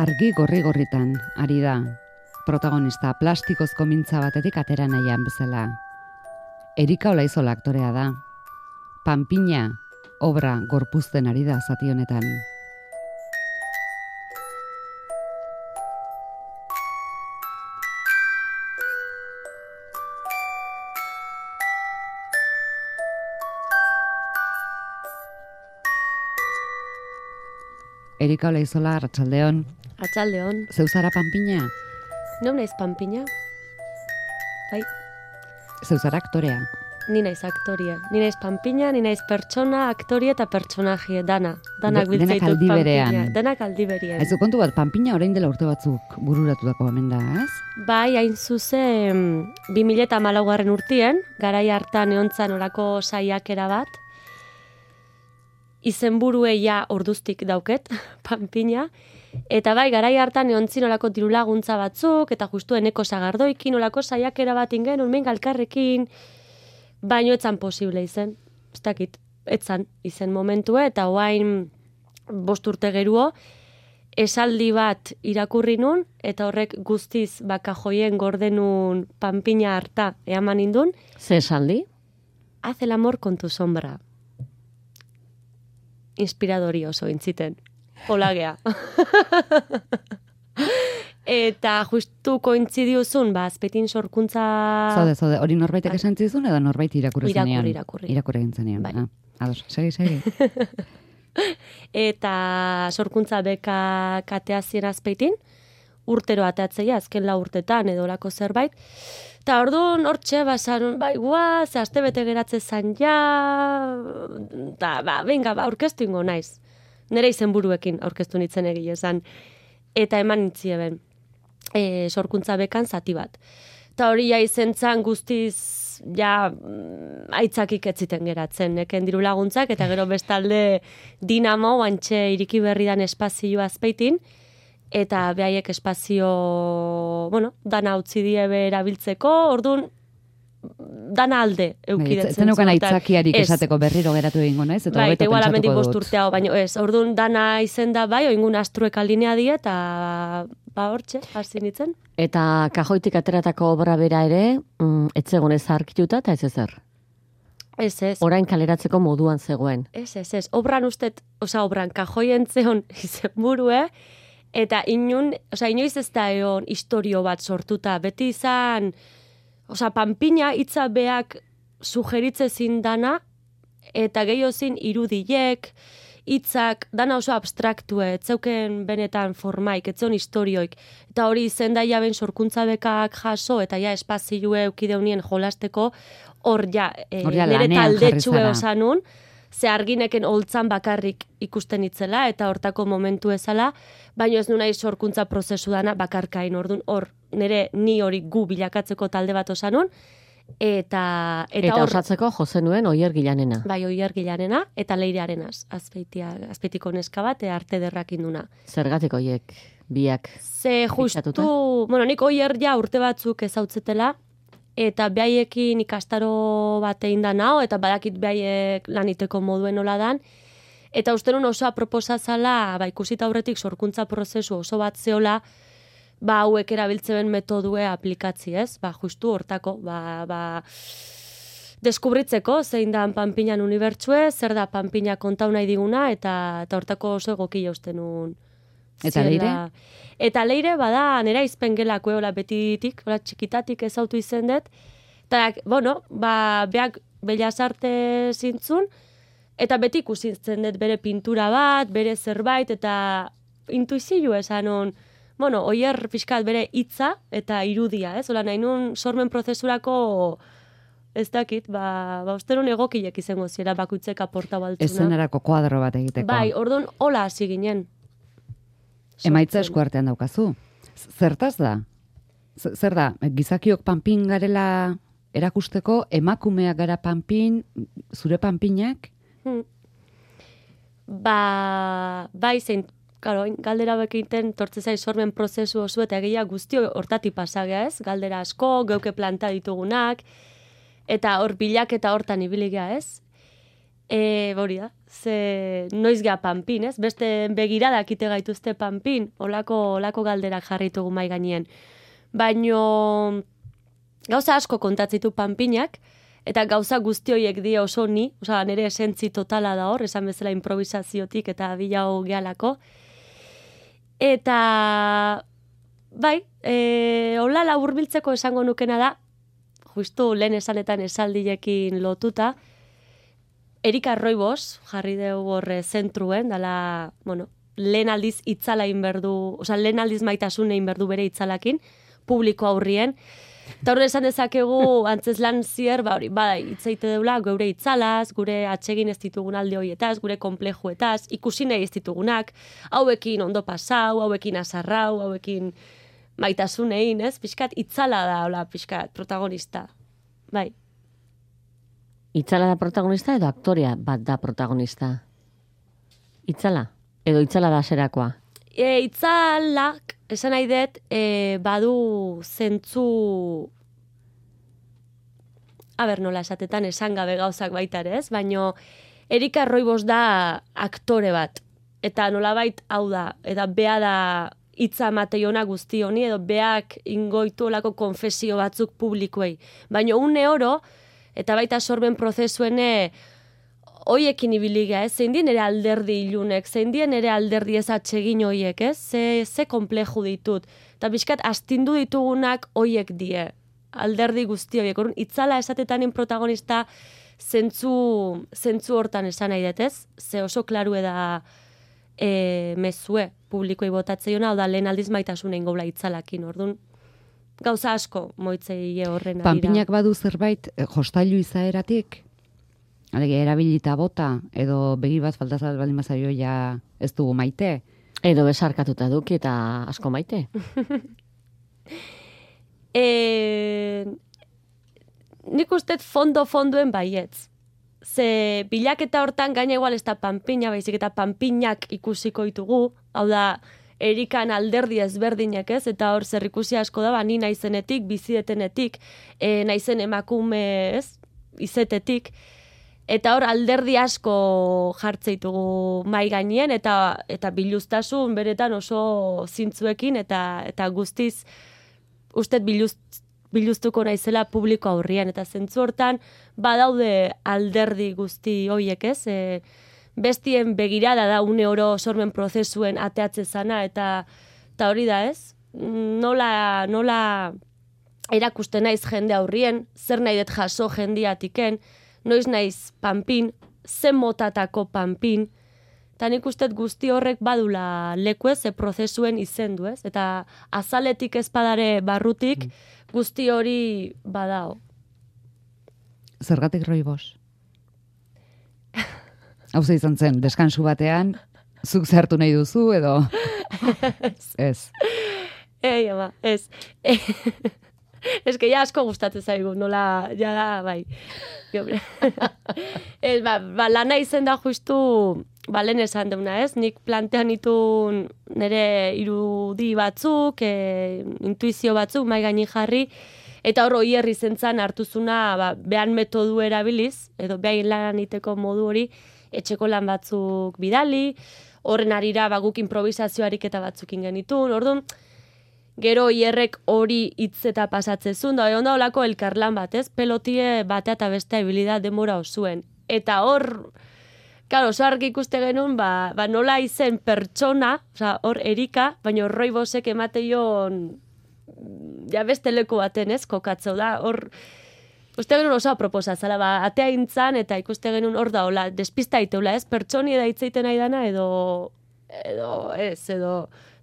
argi gorri-gorritan ari da. Protagonista plastikozko mintza batetik atera nahian bezala. Erika Olaizola aktorea da. Panpina obra gorpuzten ari da zati honetan. Erika Olaizola, arratsaldeon. Arratsaldeon. Zeu zara Panpina? No naiz Panpina. Bai. Zeu zara aktorea? Ni naiz aktoria. Ni naiz Panpina, ni naiz pertsona, aktoria eta pertsonaje, dana. Danak biltzaitut Denak aldi berean. Panpina. Denak aldi berean. Aizu kontu bat, Panpina orain dela urte batzuk bururatutako hemen da, ez? Bai, hain zuzen 2014 urtien, garai hartan eontzan orako saiakera bat, izenburue ja orduztik dauket, Panpina, eta bai, garai hartan eontzin olako dirulaguntza batzuk, eta justu eneko sagardoikin, olako saiakera bat ingen, unmen galkarrekin, baino etzan posible izen, ez dakit, etzan izen momentue, eta oain 5 urte geruo, esaldi bat irakurri nun, eta horrek guztiz bakajoien gordenun Panpina harta eaman indun. Ze esaldi? Haz el amor con tu sombra. Inspiradori oso intziten. Polagea. Eta justu kointzidiuzun, Azpeitin sorkuntza... Zaude, hori norbaitek esan zizun edo norbait irakurri zenean? Irakurri. Irakurri egin zenean. Bai. Ados, segi. Eta sorkuntza beka kateazien Azpeitin, urtero ateatzeia, azken 4 urtetan edo lako zerbait. Eta orduan hortxe, basan, bai, guaz, aste bete geratze zan ja, eta, venga, aurkeztu ingo naiz. Nere izenburuekin aurkeztu nintzen egile esan. Eta eman nintzieben, sorkuntza bekan zati bat. Eta hori ja izentzan guztiz, ja, aitzakik etziten geratzen, neken diru laguntzak, eta gero bestalde Dinamo, bantxe iriki berri dan espazioa Azpeitin, eta behaiek espazio, dana utzi diebe erabiltzeko, orduan, dana alde eukidetzen zuten. Zeneukan aitzakiarik esateko berriro geratu egingo naiz, eta hobeto igual amendik pentsatuko 5 dut. urte hau, baina ez, orduan dana izen da bai, oingun astruek alinea die, eta hortxe, hasi nintzen. Eta kajoitik ateratako obra bera ere, etzegon ez arkituta eta ez ezer. Ez. Orain kaleratzeko moduan zegoen. Ez. Obran obran kajoien zeon izenburue, eta inoiz ez da egon historio bat sortuta. Beti izan, Panpina hitza beak sugeritze zin dana, eta gehiago zin irudiek, hitzak, dana oso abstraktue, etzeuken benetan formaik, etzeon historioik. Eta hori izen da jaben sorkuntza bekak jaso, eta ja espazioe eukideunien jolasteko, hor ja, nire taldetxue osanun, ze argineken holtzan bakarrik ikusten itzela, eta hortako momentu ezala, baina ez nunai sorkuntza prozesu dana bakarkain, orduan hor, ni hori gu bilakatzeko talde bat osanun, eta osatzeko Jose nuen Oier Gilanena. Bai, Oier Gilanena, eta Leirearenaz, Azpeitiko neska bat, arte derrak induna. Zergatik oiek biak? Ze justu, nik Oier ja urte batzuk ezautzetela, eta behaiekin ikastaro bat egin da nao, eta badakit behaiek laniteko moduen nola dan, eta uste nun oso aproposa zala, ikusita aurretik sorkuntza prozesu oso bat zeola, hauek erabiltzen metodue aplikatzi, ez? Justu hortako, deskubritzeko zein da Panpinan unibertsue, zer da Panpina kontau nahi diguna, eta hortako oso egokia usten nun. Eta Leire? Eta Leire, nera izpen gelako, betitik, txikitatik ezautu izen dut, eta, beak Bellas Arte zintzun, eta beti ikusitzen dut bere pintura bat, bere zerbait, eta intuizio esan hon, Oier pixkat bere hitza eta irudia, ez? Ola nahi nun sormen prozesurako ez dakit, uste nun egokilek izango ziera bakuitzek aporta baltzuna. Ezenerako kuadro bat egiteko. Bai, orduan hola hasi ginen. Emaitza eskuartean daukazu. Zertaz da? Zer da, gizakiok Panpin garela erakusteko, emakumeak gara Panpin, zure Panpinak? Bai, zein, galdera bekiten tortze zai sormen prozesu oso eta egia guztio hortati pasagea, ez? Galdera asko, geuke planta ditugunak, eta hor bilak eta hortan ibiligea, ez? Hori da, ze noiz gea panpin, ez? Beste begiradak ite gaituzte panpin, olako galderak jarritugu mai gainien. Baino gauza asko kontatzitu panpinak, eta gauza guzti horiek die oso ni, osea, nire esentzi totala da hor, esan bezala improvisaziotik eta bilau gehalako. Eta, bai, hola laburbiltzeko esango nukena da, justu lehen esanetan esaldiekin lotuta, Erika Roibos, jarri dugu horre zentruen, dala, bueno, lehen aldiz itzala inberdu, osea, lehen aldiz maitasun inberdu bere itzalakin, publiko aurrien. Eta horre esan dezakegu, antzeslan zier, hori, bada, itzaite deula, geure itzalaz, gure atsegin ez ditugun alde horietaz, gure komplejuetaz, ikusi nahi ez ditugunak, hauekin ondo pasau, hauekin azarrau, hauekin maitasunein, ez? Pixkat, itzala da, hola, pixkat, protagonista. Bai. Itzala da protagonista edo aktorea bat da protagonista? Itzala? Edo itzala da zerakoa? Itzalak, esan nahi dut, badu zentzu... nola esatetan esan gabe gauzak baita ere, ez? Baina Erika Roibos da aktore bat. Eta nolabait hau da, eta bea da hitza mateiona guzti honi, edo beak ingoitu olako konfesio batzuk publikoei. Baina une oro, eta baita sorben prozesuene hoiekin ibiliga, ez? Zein dien ere alderdi ilunek, zein dien ere alderdi ez atsegin hoiek, ez? Ze kompleju ditut. Eta bizkat astindu ditugunak hoiek die, alderdi guzti horiek. Orduan, itzala esatetanin protagonista zentzu hortan esan nahi dut, ez? Ze oso klaru da mezue publikoei botatzeiona, hau da lehen aldiz maitasunein gola itzalakin, orduan. Gauza asko moitzei horren arira. Panpinak badu zerbait jostailu izaeratik? Alege, erabilita bota, edo begi bat faltazat baldin bazaio ja ez dugu maite? Edo besarkatuta duki eta asko maite? Nik ustez fondo-fondoen baietz. Ze bilaketa hortan gaina igual ez da panpina, baizik eta panpinak ikusiko ditugu, hau da, Erikan alderdi ezberdinak, ez? Eta hor zerrikusi asko da, ni naizenetik, bizietenetik, naizen emakume, ez? Izetetik. Eta hor alderdi asko jartzeitugu mai gainien, eta biluztasun beretan oso zintzuekin, eta guztiz, ustet biluztuko naizela publiko aurrian. Eta zentzu hortan, badaude alderdi guzti hoiek, ez? Bestien begirada da une oro sormen prozesuen ateatze zana, eta hori da, ez? Nola erakusten naiz jende aurrien, zer nahi dut jaso jendiatiken, noiz naiz panpin, zen motatako panpin, eta nik uste guzti horrek badula leku ez, prozesuen izendu, ez? Eta azaletik ezpadare barrutik guzti hori badao. Zergatik Roibos? Hau izan zen, deskansu batean, zuk zehartu nahi duzu, edo... Ez. Ama, ez. Ez que ja asko gustatzen zaigu, nola, ja da, bai. Ez, lana izen da justu, lehen esan deuna, ez? Nik plantean itun nire irudi batzuk, intuizio batzuk, mai gaini jarri, eta hor hierri zentzan hartuzuna, behan metodu erabiliz, edo behain lan iteko modu hori, etxeko lan batzuk bidali, horren arira guk improvisazioarik eta batzukin genitun, orduan, gero hierrek hori hitz eta pasatzezun, da onda olako elkarlan bat, ez? Pelotie batea eta bestea ibilida demora osuen. Eta hor, claro, oso argi ikuste genuen, nola izen pertsona, oza, hor Erika, baina Roibosek emateion, ja beste leku baten, ez? Kokatzeu da, hor, uste genuen oso aproposa, zala, atea intzan, eta ikuste genuen hor da, hola, despista iteula, ez? Pertsoni eda hitzeiten nahi dana, edo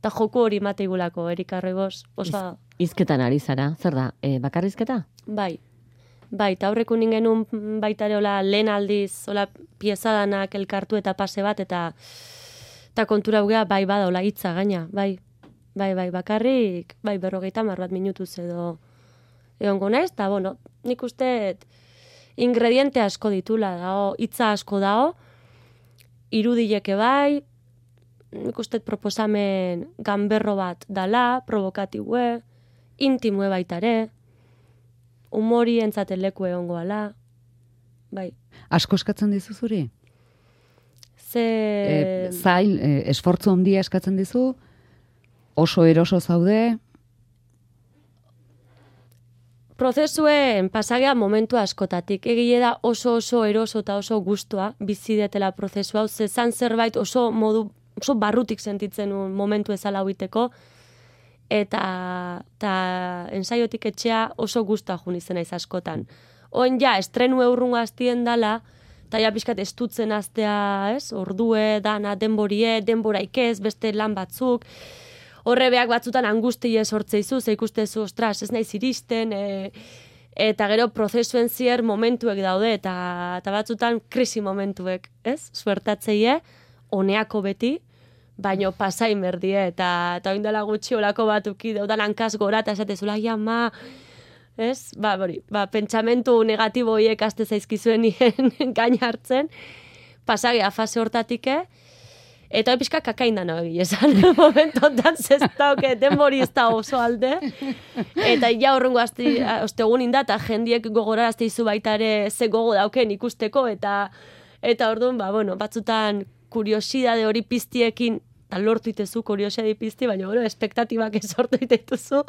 eta joku hori mateigulako, Erika Roibos, oso... Izketan ari zara, zer da, bakarrizketa? Bai, eta horreku ningenun baitare hola lehen aldiz, hola piezadanak elkartu eta pase bat, eta kontura hugea bai bada hola hitza gaina, bai, bakarrik, bai 50 bat minutuz edo egongo naiz, eta bueno, nik uste ingrediente asko ditula, dao, hitza asko dao, irudileke bai, nik uste proposamen ganberro bat dala, provokatibue, intimue baitare, humori entzaten leku egongo ala, bai. Asko eskatzen dizu zuri? Ze... Zail, esfortzu handia eskatzen dizu? Oso eroso zaude? Prozesuen pasagea momentu askotatik. Egile da oso eroso eta oso gustua bizi detela prozesu hau. Zezan zerbait oso barrutik sentitzen nuen momentu ezala huiteko. Eta ensaiotik etxea oso gustua jun izena askotan. Oen ja, estrenu eurrungo hastien dala, eta ja pixkat estutzen astea, ez? Ordue, dana, denboraik ez, beste lan batzuk. Horrebeak batzutan angustia sortzeizu, ze ikustezu, ostras, ez naiz iristen, eta gero prozesuen zier momentuek daude, eta batzutan krisi momentuek, ez? Suertatzeie, honeako beti, baino pasain berdie, eta oindela gutxi olako batuki daudan hankaz gora, eta esatezula, ma, ez? Pentsamentu negatibo hiek aste zaizkizuen nien gain hartzen, pasagea fase hortatik, eta pixka kakaindan egia esan, momentotan zestauke, denbori ez da oso alde, eta ja horrengo ostegun inda, eta jendiek gogorarazte izu baita ere ze gogo dauken ikusteko, eta orduan, batzutan kuriosidade hori piztiekin, eta lortu itezu kuriosidade pizti, baina espektatibak sortu itetuzu,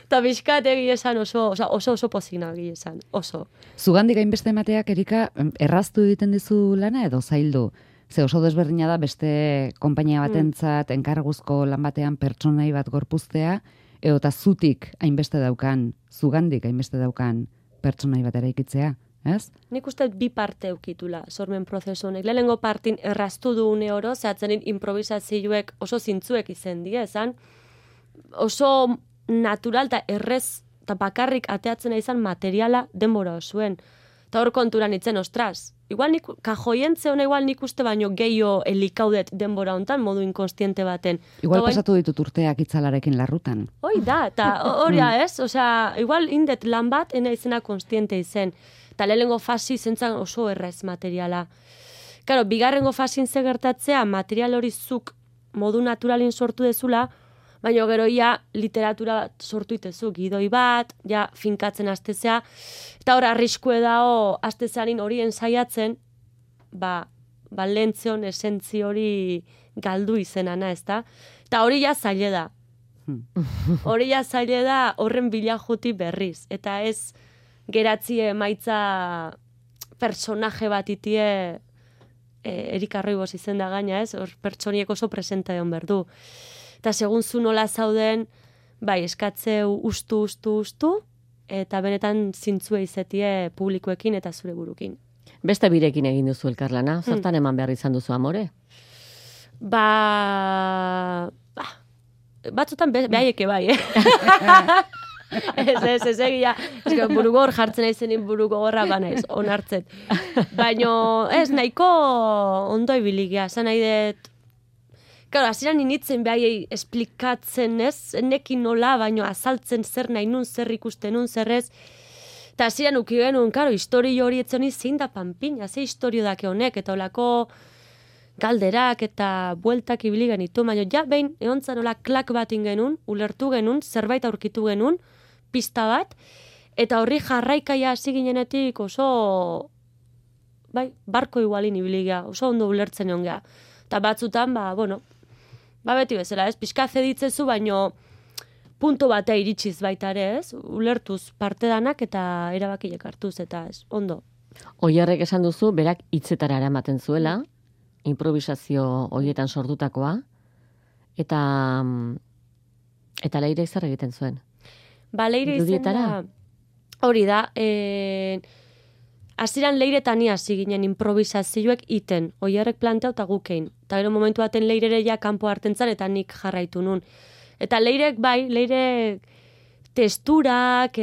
eta pixkat egia esan oso pozina egia esan, oso. Zugandik hainbeste emateak, Erika, erraztu egiten dizu lana edo zaildu? Ze oso desberdina da beste konpainia batentzat enkarguzko lan batean pertsonai bat gorpuztea, edo eta zutik hainbeste daukan, zugandik hainbeste daukan pertsonai bat eraikitzea, ez? Nik uste bi parte eukitula sormen prozesu honek. Lehenengo partin erraztu du une oro, zehatzen improvisazioek oso zintzuek izen die, esan oso natural eta errez eta bakarrik ateatzen izan materiala denbora osuen. Eta hor konturan itzen, ostras, igual kajoientze hona igual nik uste baino gehiago elikaudet denbora hontan, modu inkonstiente baten. Igual pasatu ditut urteak itzalarekin larrutan. Hoi da, eta horia ez, osea, igual indet lan bat, ena izena konstiente izen. Eta lehenengo fasi zentzan oso errez materiala. Karo, bigarrengo fasin ze gertatzea, material hori zuk modu naturalin sortu dezula, baina gero ja literatura sortu itezu, gidoi bat, ja finkatzen astezea, eta hor arriskue dao astezeanin hori ensaiatzen, lehentzion esentzi hori galdu izenana, ez da? Eta hori ja zaile da. Hori ja zaile da horren bila juti berriz, eta ez geratzie emaitza personaje bat itie Erika Roibos izen da gaina, ez? Hor pertsoniek oso presenta egon berdu. Eta segun zu nola zauden, eskatzeu ustu, eta benetan zintzue izetie publikoekin eta zure burukin. Beste birekin egin duzu elkarlana, zertan eman behar izan duzu amore? Batzutan behaieke bai, Ez egia, burugor jartzen aizenin burugorra banaiz, onartzet. Baina ez, nahiko ondo ibiligia, zan nahi dut. Claro, hasieran initzen behaiei esplikatzen, ez? Nekin nola, baino azaltzen zer nahi nun, zer ikusten nun, zer ez. Eta hasieran uki genuen, claro, historio hori etzoni zein da panpina, ze historio dake honek, eta olako galderak eta bueltak ibili genitu. Baina ja, behin, egontzan nola klak bat ingenun, ulertu genun, zerbait aurkitu genun, pista bat, eta horri jarraikaia hasi ginenetik oso, barko igualin ibiliga, oso ondo ulertzen egon geha. Eta batzutan, beti bezala, ez? Pixka zeditzezu, baino punto batea iritsiz baita ere, ez? Ulertuz parte danak eta erabakilek hartuz, eta ez, ondo. Oiarrek esan duzu, berak hitzetara eramaten zuela, improvisazio horietan sortutakoa, eta Leire zer egiten zuen? Leire izen da, hori da, hasieran Leire eta ni hasi ginen improvisazioek iten, Oiarrek plantea eta gukein. Eta gero momentu baten Leire ja kanpo hartentzan eta nik jarraitu nun. Eta Leirek Leire testurak,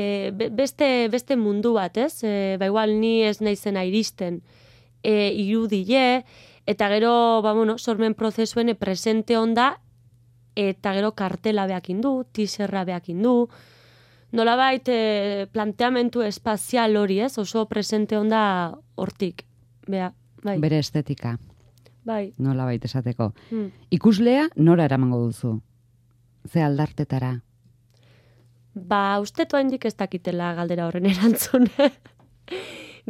beste mundu bat, ez? Igual ni ez naizena iristen irudile, eta gero, sormen prozesuen presente onda, eta gero kartela behakin du, teaserra behakin du, nolabait planteamentu espazial hori, ez? Oso presente onda hortik. Bere estetika. Bai. Nolabait esateko. Ikuslea nora eramango duzu? Ze aldartetara? Ustetu haindik ez dakitela galdera horren erantzun.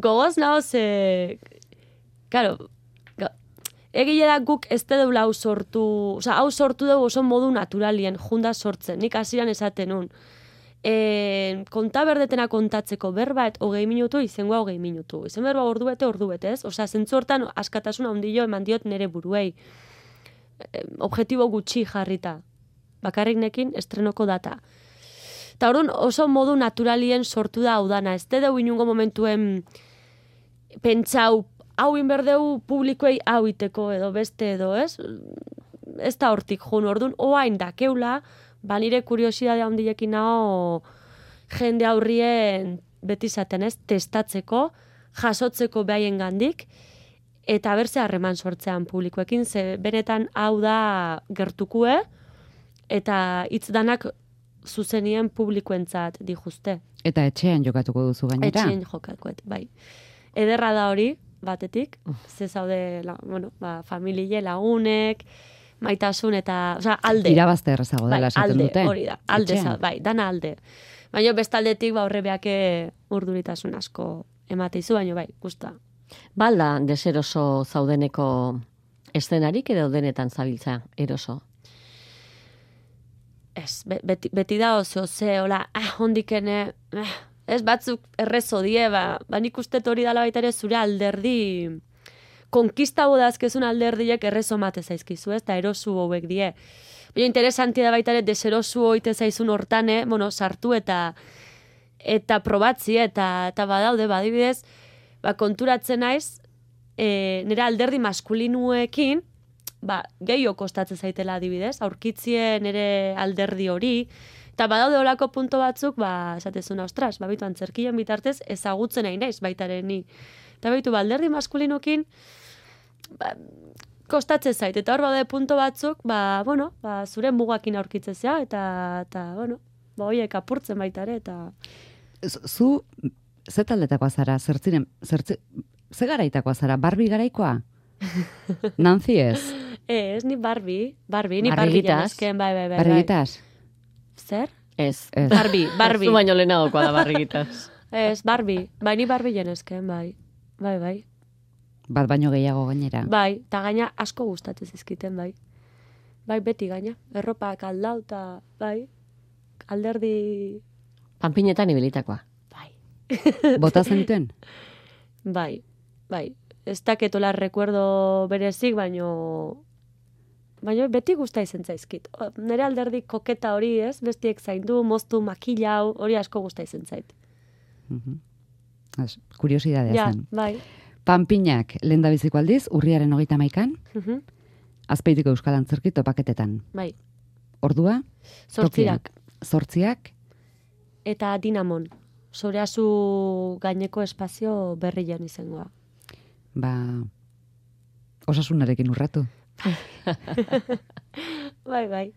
Gogoz naho claro, egile da guk ez deula hau sortu, hau sortu dugu oso modu naturalien, junda sortzen, nik hasieran esaten nun. Konta berdetena kontatzeko berba, 20 minutu, izengoa 20 minutu. Izen berba ordu bete, ez? Zentzu hortan askatasun handio eman diot nere buruei. Objektibo gutxi jarrita. Bakarrik nekin estrenoko data. Eta orduan oso modu naturalien sortu da hau dana. Ez dedeu inungo momentuen pentsau, hau inberdeu publikoei hau iteko edo beste edo, ez? Ez da hortik jun, orduan oain dakeula, nire kuriosidade handiekin naho jende aurrien beti zaten, ez? Testatzeko, jasotzeko behaien gandik, eta berze harreman sortzean publikoekin, ze benetan hau da gertukue, eta hitz danak zuzenien publikoentzat dijuzte. Eta etxean jokatuko duzu gainera? Etxean jokatuko, bai. Ederra da hori, batetik, ze zaude, familie, lagunek, maitasun eta, alde. Irabazte errezago dela esaten dute. Hori da, alde, dana alde. Baina bestaldetik, horre beake urduritasun asko emateizu, baina bai, guztua. Balda, deseroso zaudeneko eszenarik edo denetan zabiltza eroso? Ez, beti da oso hola, hondikene, ez batzuk errezo die, nik uste hori dala baita ere zure alderdi, konkista bodazkezun alderdiek errezo mate zaizkizu, ez, eta erosu hauek die. Baina interesantia da baita ere deserosu hoite zaizun hortan, sartu eta probatzi, eta badaude, badibidez, konturatzen naiz, nire alderdi maskulinuekin, gehiago kostatzen zaitela adibidez, aurkitzien nire alderdi hori, eta badaude olako punto batzuk, esatezuna, ostras, bitu antzerkien bitartez, ezagutzen nahi naiz baitaren ni. Eta bitu, alderdi maskulinukin, kostatzen zait, eta hor badaude punto batzuk, zure mugakin aurkitzezea, eta horiek apurtzen baitare, eta... Zu, ze taldetakoa zara, ze garaitakoa zara, Barbie garaikoa? Nancy ez? Ez, ni Barbie janezken, bai. Barrigitas? Zer? Ez. Barbie. Zu baino lehenagokoa da barrigitas. Ez, ni Barbie janezken, bai. Bat baino gehiago gainera. Bai, eta gaina asko gustatu zizkiten, bai. Bai, beti gaina. Erropak aldau, eta bai, alderdi... Panpinetan ibilitakoa. Bai. Bota zenuten? Bai. Ez daketola recuerdo berezik, baino beti gusta izen zaizkit. Nere alderdi koketa hori, ez? Bestiek zaindu, moztu, makilau, hori asko gusta izen zait. Kuriosidadea zen. Bai. Panpinak lehendabiziko aldiz, urriaren 31an, Azpeitiko Euskal Antzerki topaketetan. Bai. Ordua? 8ak. 8ak? Eta Dinamon. Zoreazu gaineko espazio berrian izangoa. Osasunarekin urratu. Bai.